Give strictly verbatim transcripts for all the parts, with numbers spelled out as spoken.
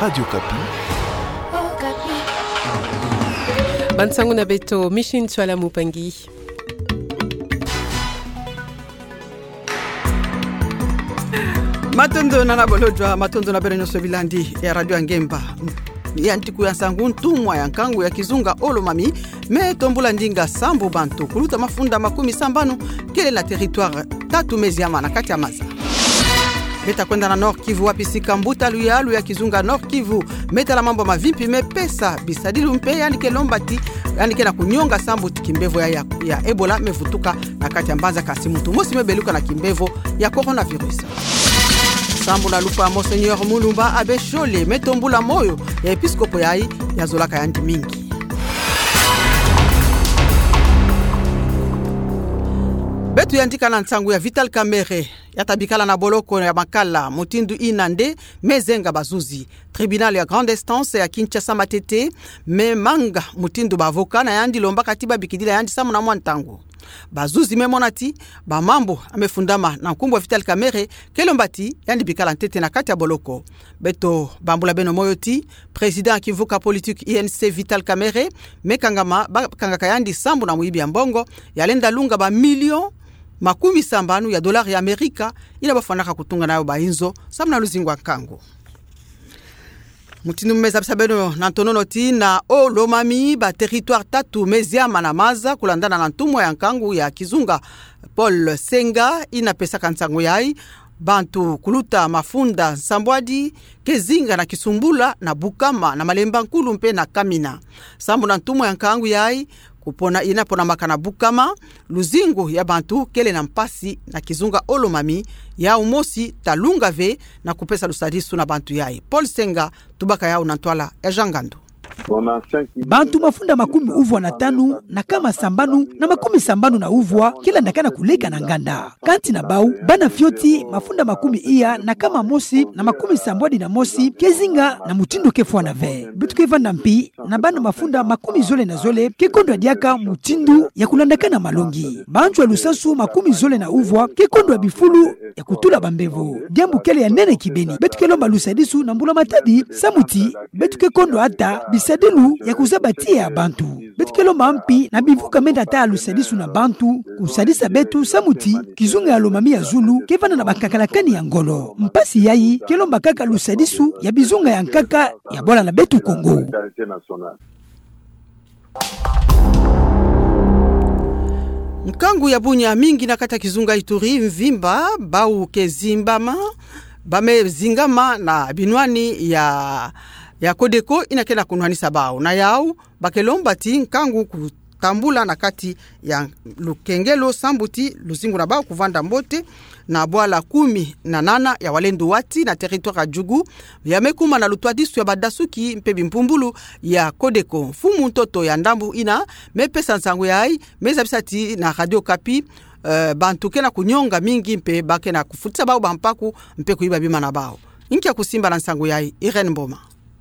Radio Okapi. Bansangu na beto, Micheline Tswala Mupangi. Matondo nana bolodjwa, matondo na beno nyonso bilandi ya Radio ya Ngemba. Ya ntiku ya nsangu, ntumwa ya nkangu ya kizunga Olomami me tombula ndinga sambu bantu kuluta mafunda makumi sambanu kele na territoire tatu meziama na kati ya maza. Beta kwenda na Nord-Kivu, wapi sika mbuta luyalu ya kizunga Nord-Kivu me tala mambu mavimpi me pesa bisadilu mpe yandi ke lomba ti yandi ke na kunyonga sambu ti kimbevo ya, ya, ya Ebola me vutuka na kati ya mbanza, kasi muntu mosi me beluka na kimbevo ya coronavirus. Sambu na lufa Monseigneur Mulumba, Abbé Chole me tombula moyo ya episkopo yayi ya zolaka yandi mingi. Beto yandika na nsangu ya Vital Kamerhe, ya ta bikala na boloko ya makala mutindu ina nde me zenga bazuzi. Tribunal ya grande instance ya Kinshasa-Matete me manga mutindu ba avocat na yandi lombaka ti ba bikidila yandi samu na mwa ntangu. Bazuzi me mona ti bamambu ya me fundama na nkumbu ya Vital Kamerhe ke lomba ti yandi bikala ntete na kati ya boloko. Beto bambula beno moyo ti président ya kimvuka politique U N C Vital Kamerhe me kangama, ba kangaka yandi sambu na muyibi ya mbongo ya lenda lunga ba million makumi sambanu ya dollars ya Amerika, ina ba fwanaka kutunga nayo ba inzo samu na luzingu ya nkangu. Mutindu me zabisa beno na ntonono ti na Olomami, ba territoire tatu meziama na maza kulandana na ntumwa ya nkangu ya kizunga Paul Senga, ina pesaka nsangu yayi, bantu kuluta mafunda nsambwadi ke zinga na Kisumbula, na Bukama, na Malemba Nkulu mpe na Kamina. Sambu na ntumwa ya nkangu yayi, kupona ina ponamaka na Bukama, luzingu ya bantu kele na mpasi na kizunga Olomami, yau mosi ta lunga ve na kupesa lusadisu na bantu yayi. Paul Senga tubaka yau na ntwala ya Jean Ngandu. Bantu mafunda makumi uvwa na tanu na kama sambanu na makumi sambanu na uvwa ke landakana kuleka na nganda. Kanti na bau, bana fioti mafunda makumi iya na kama mosi na makumi sambwadi na mosi ke zinga na mutindu ke fwana ve. Beto ke vanda mpi na bana mafunda makumi zole na zole ke kondwa diaka mutindu ya kulandakana malongi. Bantu ya lusansu makumi zole na uvwa ke kondwa bifulu ya kutula bambevo. Diambu kele ya nene kibeni. Beto ke lomba lusadisu na mbula-matadi samu ti beto ke kondwa ata bisadilu ya kuzaba tiya ya bantu. Beto ke lomba mpi na bimvuka mena ta lusadisu na bantu kusadisa beto samu ti kizunga ya Lomami ya zulu ke vanda na bankakalakani ya ngolo. Mpasi yayi ke lomba kaka lusadisu ya bizunga ya nkaka ya bwala na beto Kongo. Nkangu ya bunya mingi na kati ya kizunga Ituri mvimba, bau ke zimbama, ba me zingama na binwani ya, ya Codeco ina ke na kunwanisa bau. Na yau, ba ke lomba ti nkangu kutambula na kati ya lukengelo sambu ti luzingu na bau kuvanda mbote na bwala kumi na nana ya Walendu Wati na territoire ya Djugu, ya me kuma na lutwadisu ya badasuki mpe bimpumbulu ya Codeco. Mfumu ntoto ya ndambu ina me pesa nsangu yayi me zabisa ti na Radio Okapi, eh, bantu ke na kunyonga mingi mpe ba ke na kufutisa bau bampaku mpe kuyiba bima na bau. Nkia kusimba na nsangu yayi, Irène Mboma.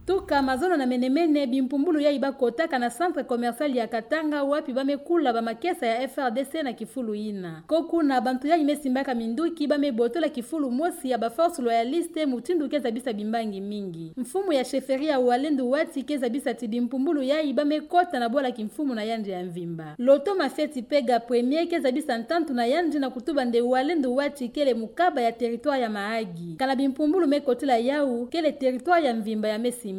Tuka mazono na mene-mene, bimpumbulu yayi ba kotaka na centre commercial ya Katanga, wapi ba me kula bamakesa ya F R D C na kifulu ina. Ko kuna, bantu yayi me simbaka minduki ba me botola kifulu mosi ya ba forces loyalistes, mutindu ke zabisa bimbangi mingi. Mfumu ya chefferie ya Walendu Wati ke zabisa ti bimpumbulu yayi ba me kota na bwala kimfumu na yandi ya mvimba. Loto Mafeti Pega Premier ke zabisa ntantu na yandi na kutuba nde Walendu Wati kele mukaba ya territoire ya Mahagi. Kana bimpumbulu me kotila yau, kele territoire ya mvimba ya me simbama.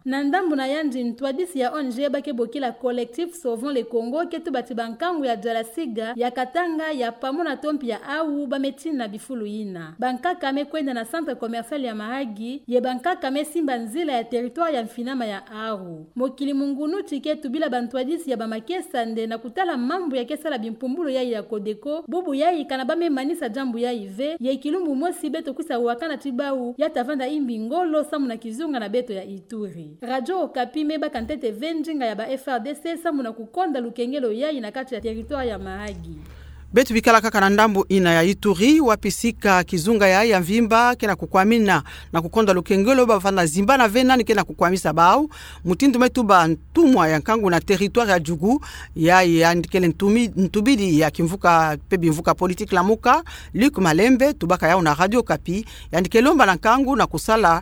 Na ndambu na yandi, ntwadisi ya O N G ba ke bokila Collectif Sauvons le Congo ke tuba ti bankangu ya Jalasiga, ya Katanga, ya Pamo na Tompi ya Awu ba me tina bifulu ina. Bankaka me kwenda na centre commercial ya Mahagi, ye bankaka me simba nzila ya territoire ya mfinama ya Aru. Mokili mungunu ti ke tubila bantwadisi ya bamakesa nde na kutala mambu ya ke sala bimpumbulu yayi ya Codeco, bubu yayi kana ba me manisa diambu yayi ve, ye kilumbu mosi beto kwisa wakana ti bau, ya ta vanda imbi ngolo samu na kizunga na beto ya Ituri. Radio Okapi me baka ntete ve ndinga ya ba F R D C samu na kukonda lukengelo yayi na kati ya territoire ya Mahagi. Beto bikala kaka na ndambu ina ya Ituri, wapi sika kizunga yayi ya mvimba ke na kukwamina na kukonda lukengelo, ba vanda zimbana ve nani ke na kukwamisa bau. Mutindu me tuba ntumwa ya nkangu na territoire ya Djugu, yayi yandi kele ntumi-, ntubidi ya kimvuka mpe bimvuka politique Lamuka, Luc Malembe, tubaka yau na Radio Okapi, yandi ke lomba na nkangu na kusala,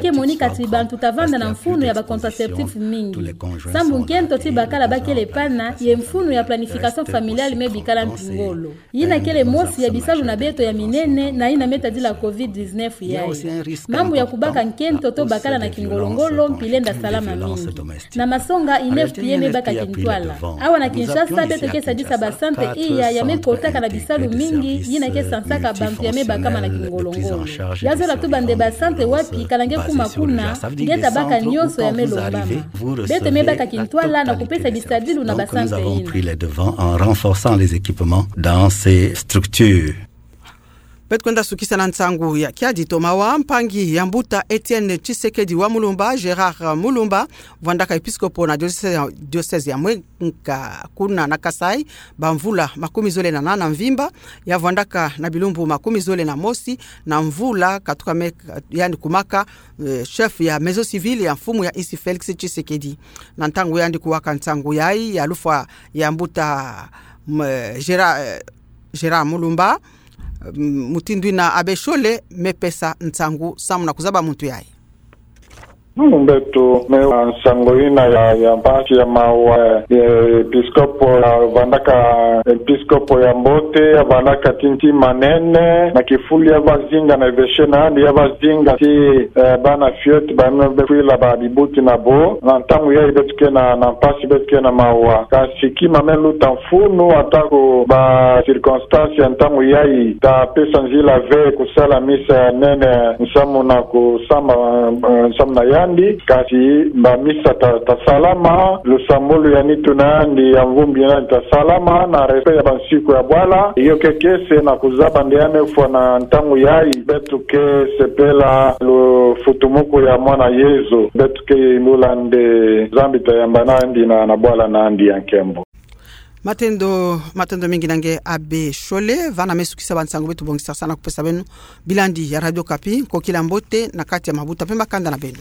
ke monika ti bantu ta vanda na mfunu ya ba contraceptifs mingi. Sambu nkento ti bakala bakele pana, ye mfunu ya planification familiale me bikala mpi ngolo. Yina kele mosi ya bisalu na beto ya minene, na yina me tadila covid dix-neuf yayi. Mambu ya kubaka nkento to bakala na kingolo-ngolo, mpile nda salama mingi. Na masonga, INEFPA me baka kintwala. Awa na Kinshasa, beto ke sadisa ba sante iya ya me kotaka na bisalu mingi, yina ke Sansaka bantu ya me bakama na kingolongono. Ya zola tuba nde ba sante wapi, ka nge kuma kuna, nge tabaka nionso ya me lombama. Beto me baka kintwala na kupesa bisadilu na ba sante yina. Pris les devants en renforçant les équipements dans ces structures. Beto kwenda sukisa na nsangu ya kiadi to mawa. Mpangi ya mbuta Etienne Tshisekedi wa Mulumba, Gérard Mulumba, vwandaka episkopo na diocèse ya, diocèse ya Mwenga kuna na Kasaï, ba mvula makumi zole na nana mvimba, ya vwandaka na bilumbu makumi zole na mosi na mvula, katuka me, yandi kumaka, eh, chef ya maison civile ya mfumu ya insi Félix Tshisekedi. Na ntangu yandi kuwaka nsangu yayi ya lufwa ya mbuta, m-, Gérard, eh, Gérard Mulumba, m-, mutindu yina Abbé Chole me pesa nsangu samu na kuzaba muntu yayi. Mm, beto me wa nsangu yina ya, ya mpasi ya mawa, eh, episkopo ya vwandaka, episkopo ya mbote, ya vwandaka ti ntima nene, na kifulu ya bazinga na évêché na yandi, ya bazinga ti, eh, bana fioti ba me befwila ba bibuti na bo, na ntangu yayi beto ke na, na mpasi, beto ke na mawa. Kasi kima me luta mfunu, atako ba circonstance ya ntangu yayi ta pesa nzila ve kusala misa ya nene nsamu na kusamba, eh, nsamu na yandi, kasi ba misa ta, ta salama, lusambulu ya nitu na yandi, ya mvumbi na yandi ta salama, na respect ya bansiku ya bwala, iyo ke kiese na kuzaba nde ya me fwa na ntangu yayi, beto ke sepela lufutumuku ya mwana Yezu, beto ke imbula nde Nzambi ta yamba na yandi na, na bwala na yandi ya nkembo. Matondo, matondo mingi na nge Abbé Chole, vana me sukisa ba nsangu beto bongisaka na kupesa beno. Bilandi ya Radio Okapi, nkokila mbote na kati ya mabuta pe makanda na beno.